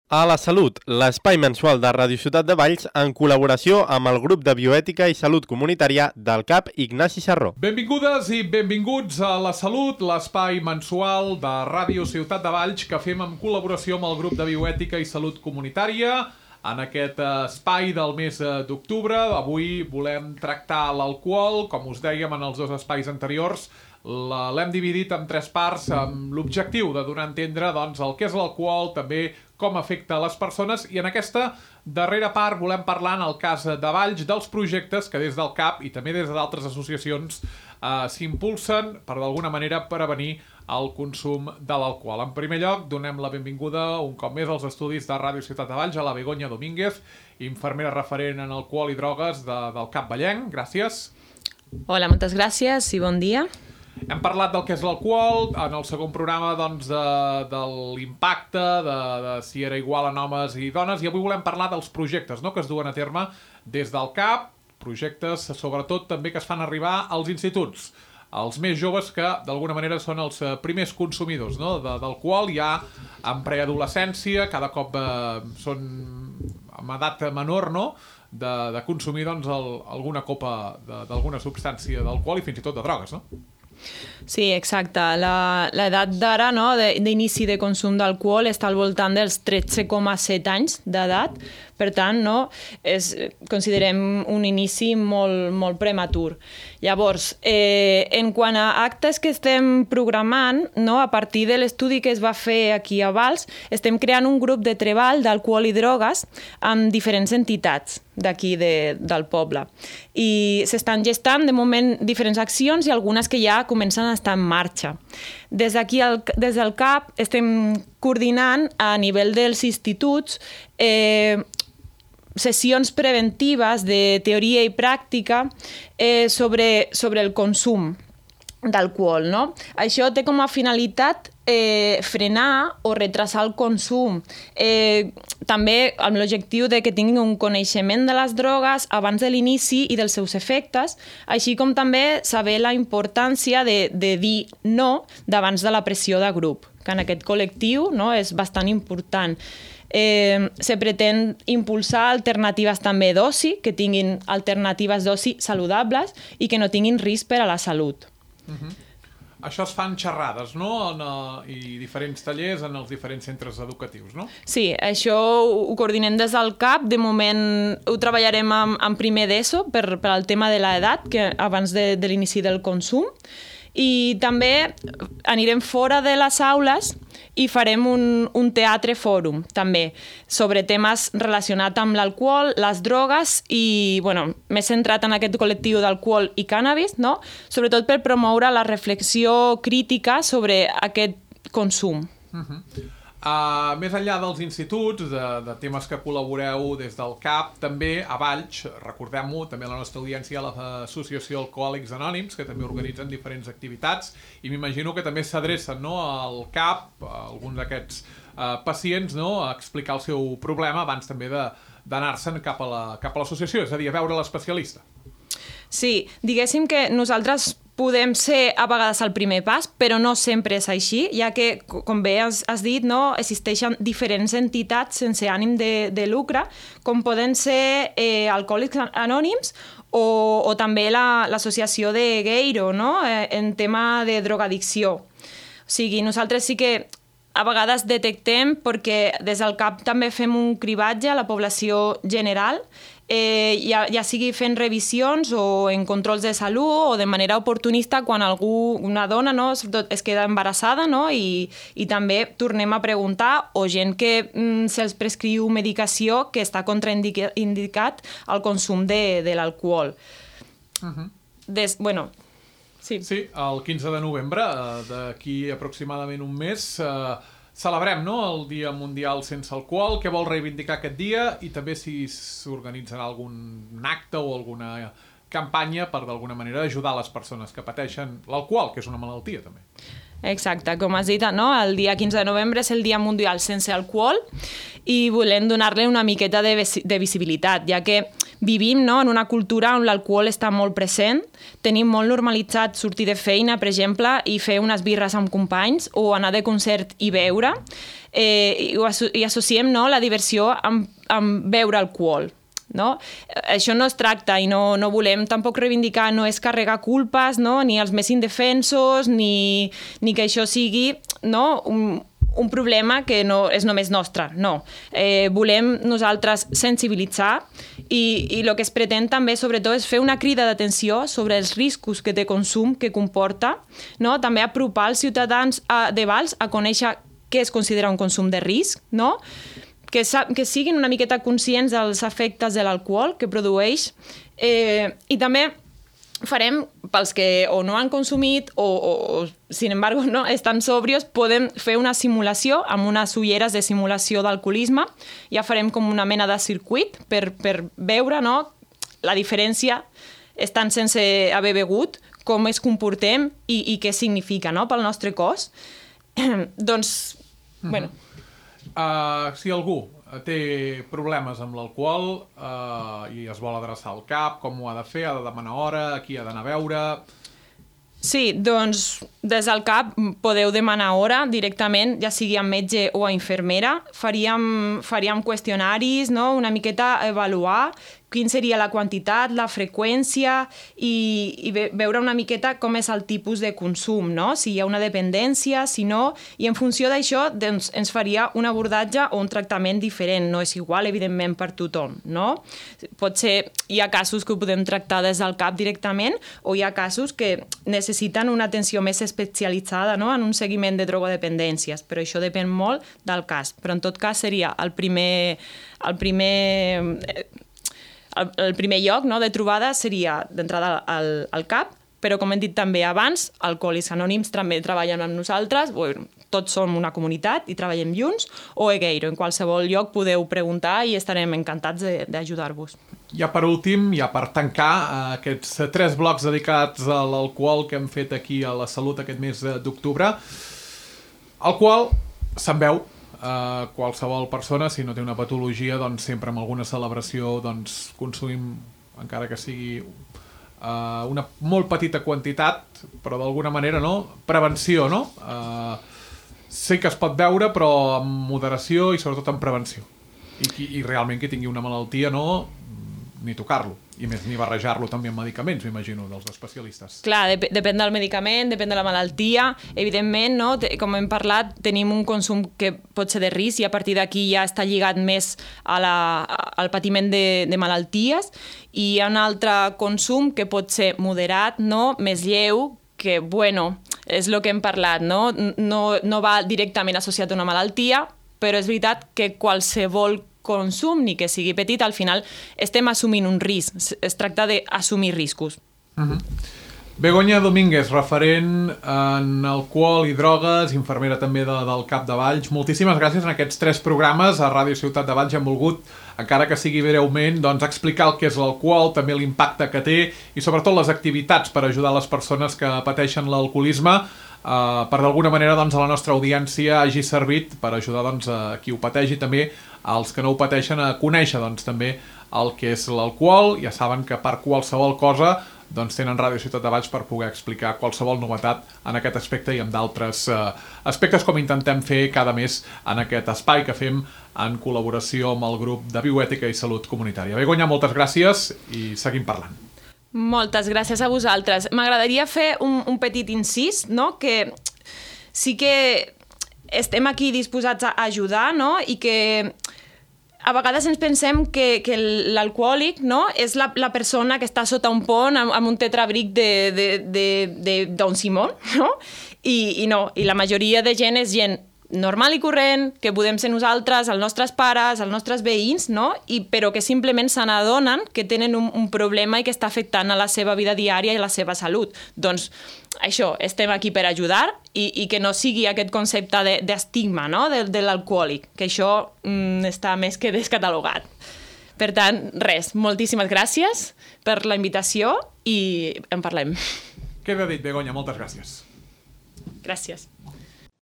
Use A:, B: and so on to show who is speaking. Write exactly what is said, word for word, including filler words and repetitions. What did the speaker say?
A: A la Salut, l'espai mensual de Ràdio Ciutat de Valls en col·laboració amb el grup de bioètica i salut comunitària del C A P Ignasi Sarró.
B: Benvingudes i benvinguts a La Salut, l'espai mensual de Ràdio Ciutat de Valls que fem en col·laboració amb el grup de bioètica i salut comunitària. En aquest espai del mes d'octubre, avui volem tractar l'alcohol, com us dèiem en els dos espais anteriors. L'hem dividit en tres parts amb l'objectiu de donar a entendre doncs, el que és l'alcohol, també com afecta les persones, i en aquesta darrera part volem parlar, en el cas de Valls, dels projectes que des del C A P i també des d'altres associacions eh, s'impulsen per d'alguna manera prevenir el consum de l'alcohol. En primer lloc, donem la benvinguda un cop més als estudis de Ràdio Ciutat de Valls a la Begoña Domínguez, infermera referent en alcohol i drogues de, del C A P Vallenc. Gràcies.
C: Hola, moltes gràcies i bon dia.
B: Hem parlat del que és l'alcohol, en el segon programa doncs, de, de l'impacte, de, de si era igual en homes i dones, i avui volem parlar dels projectes, no?, que es duen a terme des del C A P, projectes sobretot també que es fan arribar als instituts, els més joves que d'alguna manera són els primers consumidors, no?, de, d'alcohol, ja en preadolescència, cada cop eh, són amb edat menor, no?, de, de consumir doncs, el, alguna copa d'alguna substància d'alcohol i fins i tot de drogues, no?
C: Sí, exacte. L'edat d'ara, no, d'inici de consum d'alcohol està al voltant dels tretze coma set anys d'edat. Per tant, no, és, considerem un inici molt, molt prematur. Llavors, eh, en quant a actes que estem programant, no, a partir de l'estudi que es va fer aquí a Valls, estem creant un grup de treball d'alcohol i drogues amb diferents entitats d'aquí de, del poble. I s'estan gestant, de moment, diferents accions i algunes que ja comencen a estar en marxa. Des d'aquí, des del C A P, estem coordinant a nivell dels instituts eh, sessions preventives de teoria i pràctica eh, sobre, sobre el consum d'alcohol, no? Això té com a finalitat eh, frenar o retrasar el consum. Eh, també amb l'objectiu de que tinguin un coneixement de les drogues abans de l'inici i dels seus efectes, així com també saber la importància de, de dir no davant de la pressió de grup, que en aquest col·lectiu, no, és bastant important. Eh, se pretén impulsar alternatives també d'oci, que tinguin alternatives d'oci saludables i que no tinguin risc per a la salut.
B: Uh-huh. Això es fan xerrades, no?, en, uh, i diferents tallers en els diferents centres educatius, no?
C: Sí, això ho coordinem des del C A P. De moment ho treballarem en, en primer d'ESO per, per al tema de l'edat, que abans de, de l'inici del consum. I també anirem fora de les aules i farem un, un teatre fòrum, també, sobre temes relacionats amb l'alcohol, les drogues i, bueno, més centrat en aquest col·lectiu d'alcohol i cànnabis, no?, sobretot per promoure la reflexió crítica sobre aquest consum.
B: Uh-huh. Uh, més enllà dels instituts, de, de temes que col·laboreu des del C A P, també a Valls, recordem-ho, també a la nostra audiència, l'Associació Alcohòlics Anònims, que també organitzen diferents activitats, i m'imagino que també s'adrecen, no, al C A P, a alguns d'aquests uh, pacients, no, a explicar el seu problema abans també de, d'anar-se'n cap a la, cap a l'associació, és a dir, a veure l'especialista.
C: Sí, diguéssim que nosaltres podem ser a vegades el primer pas, però no sempre és així, ja que, com bé has, has dit, no, existeixen diferents entitats sense ànim de, de lucre, com poden ser eh, Alcohòlics Anònims o, o també la, l'associació de Geiro, no?, eh, en tema de drogadicció. O sigui, nosaltres sí que a vegades detectem, perquè des del C A P també fem un cribatge a la població general, Eh, ja, ja sigui fent revisions o en controls de salut o de manera oportunista quan algú, una dona, no, sobretot es queda embarassada, no, i, i també tornem a preguntar, o gent que mm, se'ls prescriu medicació que està contraindicat al consum de, de l'alcohol.
B: Uh-huh.
C: Des, bueno, sí.
B: Sí, el quinze de novembre, d'aquí aproximadament un mes, eh, celebrem, no?, el Dia Mundial Sense Alcohol. Què vol reivindicar aquest dia? I també si s'organitzarà algun acte o alguna campanya per d'alguna manera ajudar les persones que pateixen l'alcohol, que és una malaltia també.
C: Exacte, com has dit, no? El dia quinze de novembre és el Dia Mundial Sense Alcohol i volem donar-li una miqueta de, de visibilitat, ja que vivim, no?, en una cultura on l'alcohol està molt present. Tenim molt normalitzat sortir de feina, per exemple, i fer unes birres amb companys o anar de concert i beure. Eh, i, asso i associem, no?, la diversió amb, amb beure alcohol. No? Això no es tracta i no, no volem tampoc reivindicar, no és carregar culpes, no? Ni els més indefensos, ni, ni que això sigui, no?, un, un problema que no és només nostre, no. Eh, volem nosaltres sensibilitzar i, i el que es pretén també, sobretot, és fer una crida d'atenció sobre els riscos que té consum, que comporta, no? També apropar els ciutadans a, de Valls a conèixer què es considera un consum de risc, no? Que, que siguin una miqueta conscients dels efectes de l'alcohol que produeix, eh, i també farem, pels que o no han consumit o, o, o sin embargo, no, estan sòbrios, podem fer una simulació amb unes ulleres de simulació d'alcoholisme. Ja farem com una mena de circuit per, per veure, no, la diferència estant sense haver begut, com es comportem i, i què significa, no?, pel nostre cos. Doncs, mm-hmm. bueno...
B: Uh, si algú té problemes amb l'alcohol uh, i es vol adreçar al C A P, com ho ha de fer? Ha de demanar hora? A qui ha d'anar a veure?
C: Sí, doncs des del C A P podeu demanar hora directament, ja sigui a metge o a infermera. Faríem, faríem qüestionaris, no?, una miqueta avaluar quin seria la quantitat, la freqüència i, i veure una miqueta com és el tipus de consum, no? Si hi ha una dependència, si no, i en funció d'això doncs, ens faria un abordatge o un tractament diferent. No és igual, evidentment, per tothom, no? Pot ser, hi ha casos que ho podem tractar des del C A P directament o hi ha casos que necessiten una atenció més especialitzada, no?, en un seguiment de drogodependències, però això depèn molt del cas. Però en tot cas seria el primer... El primer El, el primer lloc, no?, de trobada seria d'entrada al, al C A P, però com hem dit també abans, Alcohòlics Anònims també treballen amb nosaltres, bueno, tots som una comunitat i treballem junts, o Egeiro, en qualsevol lloc podeu preguntar i estarem encantats d'ajudar-vos.
B: Ja per últim, ja per tancar aquests tres blocs dedicats a l'alcohol que hem fet aquí a la Salut aquest mes d'octubre, alcohol se'n veu. Uh, qualsevol persona, si no té una patologia, doncs sempre amb alguna celebració doncs consumim, encara que sigui uh, una molt petita quantitat, però d'alguna manera, no? Prevenció, no? Uh, sé que es pot veure, però amb moderació i sobretot amb prevenció. I, qui, i realment qui tingui una malaltia, no, ni tocar-lo. I més, ni barrejar-lo també amb medicaments, m'imagino, dels especialistes.
C: Clar, dep depèn del medicament, depèn de la malaltia. Evidentment, no? Com hem parlat, tenim un consum que pot ser de risc i a partir d'aquí ja està lligat més a la, al patiment de, de malalties. I hi ha un altre consum que pot ser moderat, no?, més lleu, que, bueno, és el que hem parlat, no? No, no va directament associat a una malaltia, però és veritat que qualsevol consum, ni que sigui petit, al final estem assumint un risc. Es tracta d'assumir riscos.
B: Uh-huh. Begoña Domínguez, referent en alcohol i drogues, infermera també de, del C A P de Valls. Moltíssimes gràcies en aquests tres programes a Ràdio Ciutat de Valls. Hem volgut, encara que sigui breument, doncs, explicar el que és l'alcohol, també l'impacte que té i sobretot les activitats per ajudar les persones que pateixen l'alcoholisme. Uh, per d'alguna manera doncs, a la nostra audiència hagi servit per ajudar doncs, a qui ho pateix i també als que no ho pateixen a conèixer doncs, també el que és l'alcohol. Ja saben que per qualsevol cosa doncs, tenen Ràdio Ciutat de Valls per poder explicar qualsevol novetat en aquest aspecte i en d'altres uh, aspectes com intentem fer cada mes en aquest espai que fem en col·laboració amb el grup de Bioètica i Salut Comunitària. Begoña, moltes gràcies i seguim parlant.
C: Moltes gràcies a vosaltres. M'agradaria fer un, un petit incís, no?, que sí que estem aquí disposats a ajudar, no?, i que a vegades ens pensem que, que l'alcohòlic, no?, és la, la persona que està sota un pont amb, amb un tetrabric de, de, de, de Don Simón, no? I, i no, i la majoria de gent és gent normal i corrent, que podem ser nosaltres, els nostres pares, els nostres veïns, no? I, però que simplement se n'adonen que tenen un, un problema i que està afectant a la seva vida diària i a la seva salut. Doncs això, estem aquí per ajudar i, i que no sigui aquest concepte d'estigma, de, no?, de, de l'alcohòlic, que això mm, està més que descatalogat. Per tant, res, moltíssimes gràcies per la invitació i en parlem.
B: Queda dit, Begoña, moltes gràcies.
C: Gràcies.